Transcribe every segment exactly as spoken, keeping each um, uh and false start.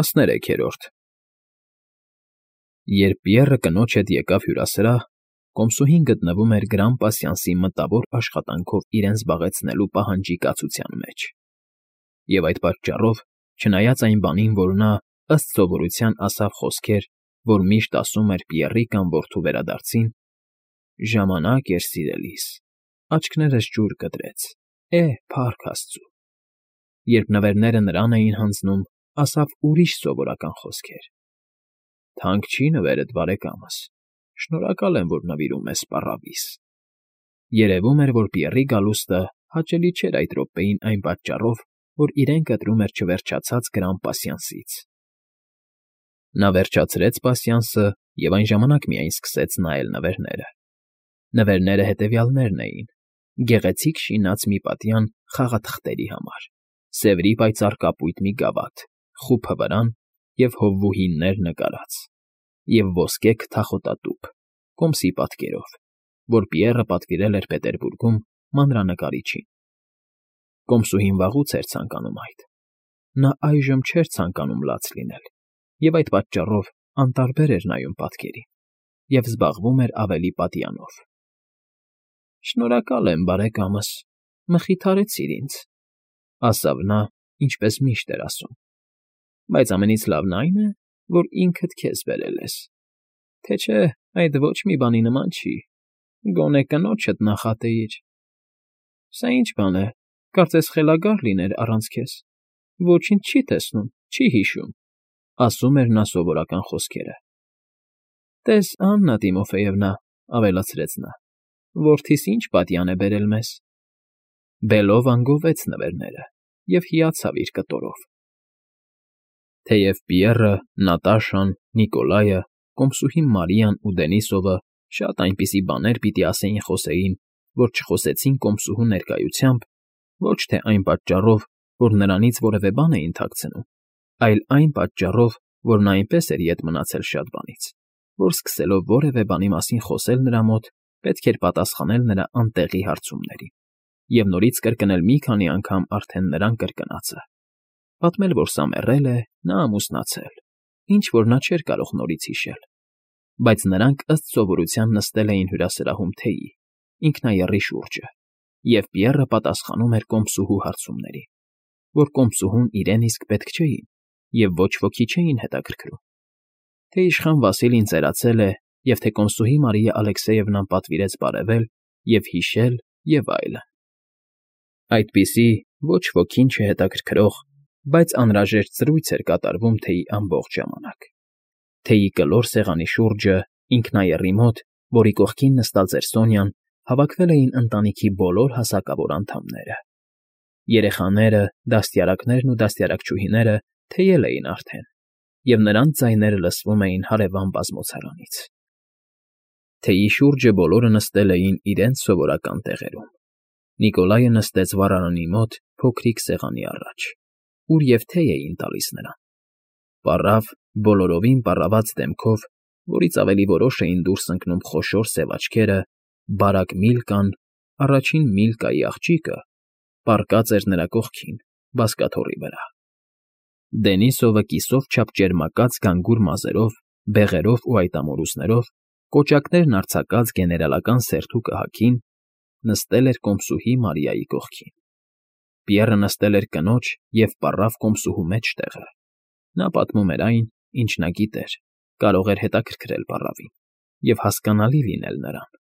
ՏԱՍՆԵՐԵՔԵՐՈՐԴ Երբ Պիեռը կնոջ հետ եկավ հյուրասրահ, կոմսուհին գտնվում էր Գրան պասյանսի մտավոր աշխատանքով իրեն զբաղեցնելու պահանջի կացության մեջ, և այդ պատճառով, չնայած այն բանին, որ նա, ըստ սովորության, ասավ խոսքեր, որ միշտ ասում էր Պիեռի կամ որդու վերադարձին. «Ժամանակ էր, սիրելիս, աչքներս ջուր կտրեց, է՜, փառք աստծու», երբ նվերները նրան էին հանձնում, ասավ ուրիշ սովորական խոսքեր. «Թանկ չի նվերդ, բարեկամս, շնորհակալ եմ, որ նվիրում ես պառավիս»։ Երևում էր, որ Պիեռի գալուստը հաճելի չէր այդ րոպեին այն պատճառով, որ իրեն կտրում էր չվերջացած Գրան պասյանսից։ Նա վերջացրեց պասյանսը և այն ժամանակ միայն սկսեց նայել նվերները։ Նվերները հետևյալներն էին. գեղեցիկ շինած մի պատյան խաղաթղթերի համար, սևրի պայծառ կապույտ մի գավաթ, խուփը վրան և հովվուհիներ նկարած, և ոսկե քթախոտատուփ, կոմսի պատկերով, որ Պիեռը պատվիրել էր Պետերբուրգում մանրանկարիչին։ Կոմսուհին վաղուց էր ցանկանում այդ։ Նա այժմ չէր ցանկանում լաց լինել, և այդ պատճառով անտարբեր էր նայում պատկերին և զբաղվում էր ավելի պատյանով։ «Շնորհակալ եմ, բարեկամս, մխիթարեցիր ինձ», ֊ ասավ նա, ինչպես միշտ էր ասում, «բայց ամենից լավն այն է, որ ինքդ քեզ բերել ես, թե չէ այդ ոչ մի բանի նման չի, գոնե կնոջդ նախատեիր։ Սա ի՞նչ բան է, կարծես խելագար լիներ առանց քեզ, ոչինչ չի տեսնում, չի հիշում», ֊ ասում էր նա սովորական խոսքերը։ «Տես, Աննա Տիմոֆեևնա», ֊ ավելացրեց նա, որդիս ինչ պատյան է բերել մեզ։ Բելովան գովեց նվերները և հիացավ իր կտորով։ Թեև Պիեռը, Նատաշան, Նիկոլայը, կոմսուհին Մարիան ու Դենիսովը շատ այնպիսի բաներ պիտի ասեին֊խոսեին, որ չխոսեցին կոմսուհու ներկայությամբ, ոչ թե այն պատճառով, որ նրանից որևէ բան էին թաքցնում, այլ այն պատճառով, որ նա այնպես էր ետ մնացել շատ բանից, որ սկսելով որևէ բանի մասին խոսել նրա մոտ, պետք էր պատասխանել նրա անտեղի հարցումներին և նորից կրկնել մի քանի անգամ արդեն նրան կրկնածը, պատմել, որ սա մեռել է, նա ամուսնացել, ինչ֊որ նա չէր կարող նորից հիշել, բայց նրանք ըստ սովորության նստել էին հյուրասրահում թեյի, ինքնաեռի շուրջը, և Պիեռը պատասխանում էր կոմսուհու հարցումներին, որ կոմսուհուն իրեն իսկ պետք չէին և ոչ ոքի չէին հետաքրքրում, թե իշխան Վասիլին ծերացել է, և թե կոմսուհի Մարիա Ալեքսեևնան պատվիրեց բարևել և հիշել և այլն։ Այդպիսի ոչ ոքին չհետաքրքրող, բայց անհրաժեշտ զրույց էր կատարվում թեյի ամբողջ ժամանակ։ Թեյի կլոր սեղանի շուրջը, ինքնաեռի մոտ, որի կողքին նստած էր Սոնյան, հավաքվել էին ընտանիքի բոլոր հասակավոր անդամները։ Երեխաները, դաստիարակներն ու դաստիարակչուհիները թեյել էին արդեն, և նրանց ձայները լսվում էին հարևան բազմոցարանից։ Թեյի շուրջը բոլորը նստել էին իրենց սովորական տեղերում։ Նիկոլայը նստեց վառարանի մոտ փոքրիկ սեղանի առաջ, ուր և թեյ էին տալիս նրան։ Պառավ, բոլորովին պառաված դեմքով, որից ավելի որոշ էին դուրս ընկնում խոշոր սև աչքերը, բարակ Միլկան, առաջին Միլկայի աղջիկը, պառկած էր նրա կողքին, բազկաթոռի վրա։ Դենիսովը կիսով չափ ճերմակած գանգուր մազերով, բեղերով ու այտամորուսներով, կոճակներն արձակած գեներալական սերթու կհակին, նստել էր կոմսուհի Մարիայի կողքին։ Պիեռը նստել էր կնոջ և պառավ կոմսուհու մեջտեղը։ Նա պատմում էր այն, ինչ նա գիտեր, կարող էր հետաքրքրել պառավին և հասկանալի լինել նրան։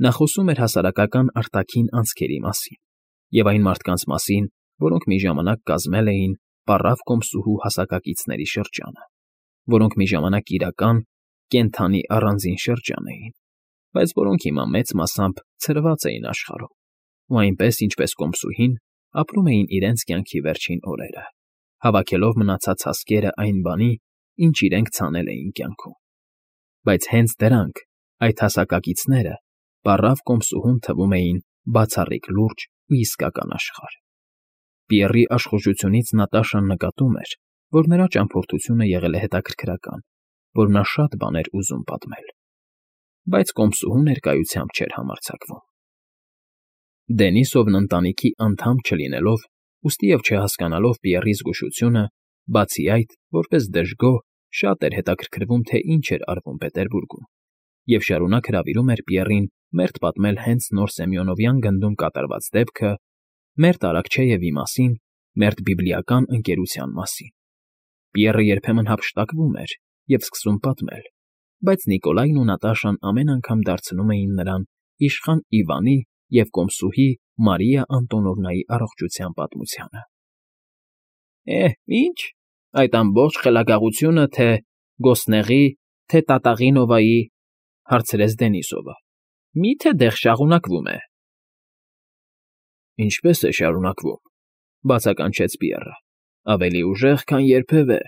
Նա խոսում էր հասարակական արտաքին անցքերի մասին և այն մարդկանց մասին, որոնք մի ժամանակ կազմել էին պառավ կոմսուհու հասակակիցների շրջանը, որոնք մի ժամանակ իրական, կենդանի առանձին շրջան էին, բայց որոնք հիմա մեծ մասամբ ցրված էին աշխարհում ու այնպես, ինչպես կոմսուհին, ապրում էին իրենց կյանքի վերջին օրերը, հավաքելով մնացած հասկերը այն բանի, ինչ իրենք ցանել էին կյանքում։ Բայց հենց դրանք, այդ հասակակիցները, պառավ կոմսուհուն թվում էին բացառիկ լուրջ ու իսկական աշխարհ։ Պիեռի աշխուժությունից Նատաշան նկատում էր, որ նրա ճամփորդությունը եղել է հետաքրքրական, որ նա շատ բան էր ուզում պատմել, բայց կոմսուհու ներկայությամբ չէր համարձակվում։ Դենիսովն ընտանիքի անդամ չլինելով, ուստի և չհասկանալով Պիեռի զգուշությունը, Բացի այդ, որպես դժգոհ, շատ էր հետաքրքրվում, թե ինչ էր արվում Պետերբուրգում, և շարունակ հրավիրում էր Պիեռին մերթ պատմել հենց նոր Սեմյոնովյան գնդում կատարված դեպքը, մերթ Արաքչեևի մասին, մերթ բիբլիական ընկերության մասին։ Պիեռը երբեմն հափշտակվում էր և սկսում պատմել, բայց Նիկոլայն ու Նատաշան ամեն անգամ դարձնում էին նրան իշխան Իվանի և կոմսուհի Մարիա Անտոնովնայի առողջության պատմությանը։ Է, ի՞նչ, այդ ամբողջ խելագարությունը թե Գոսնեղի, թե Տատաղինովայի, հարցրեց Դենիսովը, մի՞թե դեռ շարունակվում է։ Ինչպե՞ս է շարունակվում,֊ բացականչեց Պիեռը,֊ ավելի ուժեղ, քան երբևէ։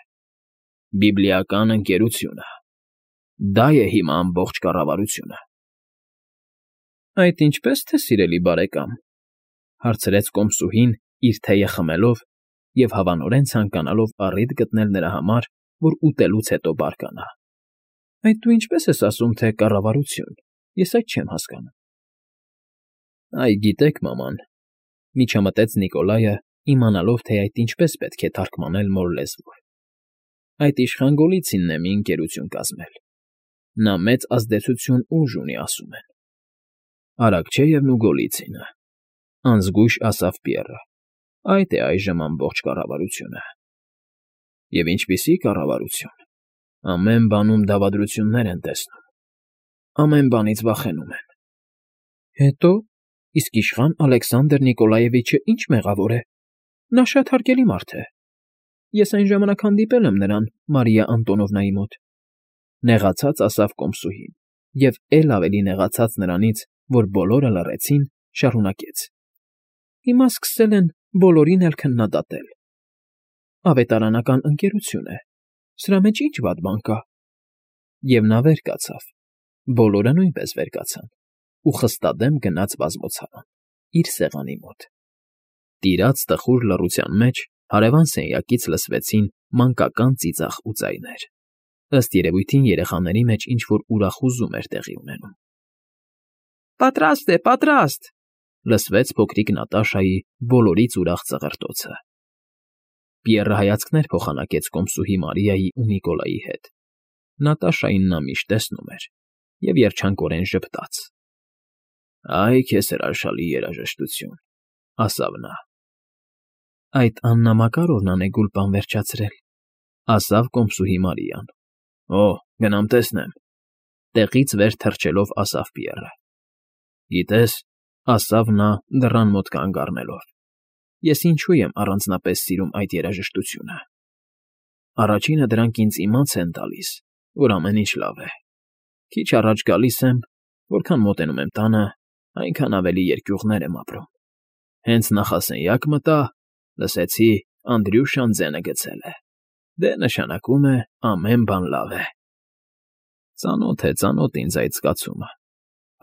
Բիբլիական ընկերությունը… Դա է հիմա ամբողջ կառավարությունը։ Այդ ինչպե՞ս թե, սիրելի բարեկամ,֊ հարցրեց կոմսուհին, իր թեյը խմելով և հավանորեն ցանկանալով առիթ գտնել նրա համար, որ ուտելուց հետո բարկանա։ Այդ դու ինչպե՞ս ես ասում, թե կառավարություն, ես այդ չեմ հասկանում։ Այ գիտեք, մաման,֊ միջամտեց Նիկոլայը, իմանալով, թե այդ ինչպես պետք է թարգմանել նոր լեզվով,֊ այդ իշխան Գոլիցինն է մի ընկերություն կազմել։ Նա մեծ ազդեցություն ուժ ունի, ասում են։ Արաքչեևն ու Գոլիցինը,֊ անզգույշ ասավ Պիեռը,֊ այդ է այժմ ամբողջ կառավարությունը։ Եվ ինչպիսի՞ կառավարություն… Ամեն բանում դավադրություններ են տեսնում, ամեն բանից վախենում են։ Հետո՞, իսկ իշխան Ալեքսանդր Նիկոլաևիչը ի՞նչ մեղավոր է։ Նա շատ հարգելի մարդ է։ Ես այն ժամանակ հանդիպել եմ նրան Մարիա Անտոնովնայի մոտ,֊ նեղացած ասավ կոմսուհին և, էլ ավելի նեղացած նրանից, որ բոլորը լռեցին, շարունակեց. Հիմա սկսել են բոլորին էլ քննադատել։ Ավետարանական ընկերություն է, սրա մեջ ի՞նչ վատ բան կա։ Եվ նա վեր կացավ, բոլորը նույնպես վեր կացան ու խստադեմ գնաց բազմոցարան, իր սեղանի մոտ։ Տիրաց տխուր լռության մեջ հարևան սենյակից լսվեցին մանկական ծիծաղ ու ձայներ։ Ըստ երևույթին երեխաների մեջ ինչ֊որ ուրախուզում էր տեղի ունենում։ Պատրաստ է, պատրաստ,֊ լսվեց փոքրիկ Նատաշայի բոլորից ուրախ ծղրտոցը։ Պիեռը հայացքներ փոխանակեց կոմսուհի Մարիայի ու Նիկոլայի հետ։ Նատաշային նա միշտ տեսնում էր և երջանկորեն ժպտաց։ Այ քեզ հրաշալի երաժշտություն,֊ ասավ նա։ Այդ Աննա Մակարովնան է գուլպան վերջացրել,֊ ասավ կոմսուհի Մարիան։ Օ՜, գնամ տեսնեմ,֊ տեղից վեր թռչելով ասավ Պիեռը։ Գիտես,֊ ասավ նա դռան մոտ կանգ առնելով,֊ ես ինչու եմ առանձնապես սիրում այդ երաժշտությունը։ Առաջինը դրանք ինձ իմաց են տալիս, որ ամեն ինչ լավ է։ Քիչ առաջ գալիս եմ, որքան մոտենում եմ տանը, այնքան ավելի երկյուղներ եմ ապրում։ Հենց նախասենյակ մտա, լսեցի Անդրյուշան ձենը գցել է։ Դե նշանակում է ամեն բան լավ է։ Ծանոթ է, ծանոթ ինձ այդ զգացումը,֊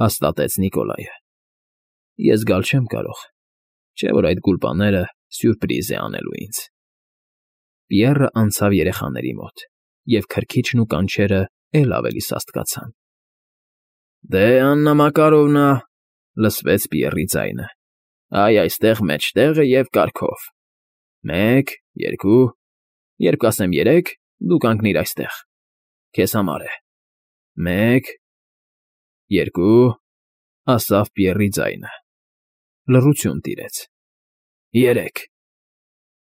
հաստատեց Նիկոլայը։ Ես գալ չեմ կարող, չէ՞ որ այդ գուլպաները սյուրպրիզ է անելու ինձ։ Պիեռը անցավ երեխաների մոտ, և քրքիջն ու կանչերը էլ ավելի սաստկացան։ Դե, Աննա Մակարովնա,֊ լսվեց Պիեռի ձայնը,֊ այ այստեղ մեջտեղը և կարգով… Մեկ, երկու, երբ կասեմ երեք, դու կանգնիր այստեղ… Քեզ համար է… Մեկ… Երկու…֊ ասավ Պիեռի ձայնը։ Լռություն տիրեց։ Երեք…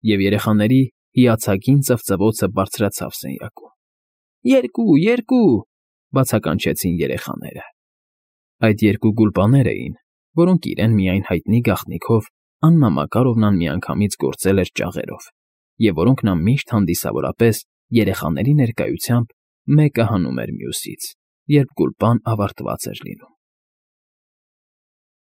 Եվ երեխաների հիացագին ծվծվոցը բարձրացավ սենյակում։ Երկու, երկու…֊ բացականչեցին երեխաները։ Այդ երկու գուլպաներ էին, որոնք իրեն միայն հայտնի գաղտնիքով Աննա Մակարովնան միանգամից գործել էր ճաղերով, և որոնք նա միշտ հանդիսավորապես երեխաների ներկայությամբ մեկը հանում էր մյուսից, երբ գուլպան ավարտված էր լինում։